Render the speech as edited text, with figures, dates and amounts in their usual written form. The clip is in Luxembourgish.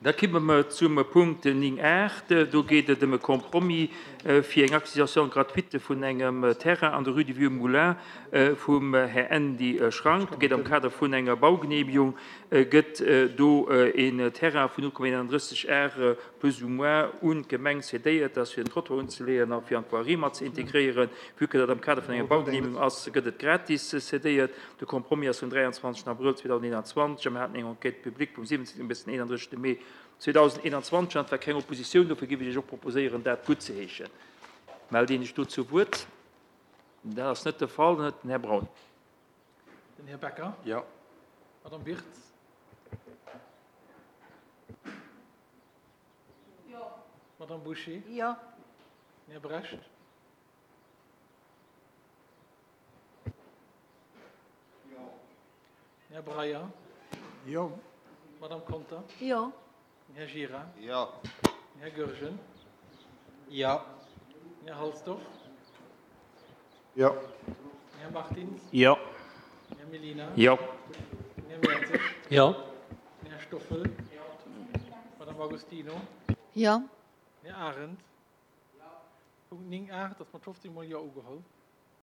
Da kimme mer zum Punkt 9 art. Do geet et ëm e Compromis fir eng Acquisition gratuite vun engem Terrain an der Rue du Vieux Moulin vum Här Andy Schrank. Et geet am Kader vun enger Baugenehmigung gëtt do een Terrain vun 0,31 Ar plus ou moins un d'Gemeng cédéiert, dat ass fir en Trottoir unzeleeën a fir an d'Voirie mat ze integréieren. Vue que dat am Kader vun enger Baugenehmigung ass, gëtt et gratis cédéiert. De Compromis ass vum 23 Abrëll 2021 a mir haten eng Enquête publique vum 17 bis den 31 Mee 2021 an et war keng Oppositioun. Dofir géif ech Iech och proposéieren, dat guttzeheeschen. Mellt een sech do zu Wuert? Dat ass net de Fall. Dann huet den Här Braun. Den Här Becker. Jo. Madame Birtz. Jo. Madame Bouché. Jo. Den Här Brecht. Jo. Den Här Breyer. Jo. Madame Conter. Jo. Den Här Gira. Jo. Den Här Goergen. Jo. Den Här Halsdorf. Jo. Den Här Martins. Jo. Den Här Mellina. Jo. Den Här Mertzig. Jo. Den Här Stoffel. Jo. Madame Agostino. Jo. Den Här Arendt. Punkt 9 art ass mat 15 mol Jo ugeholl.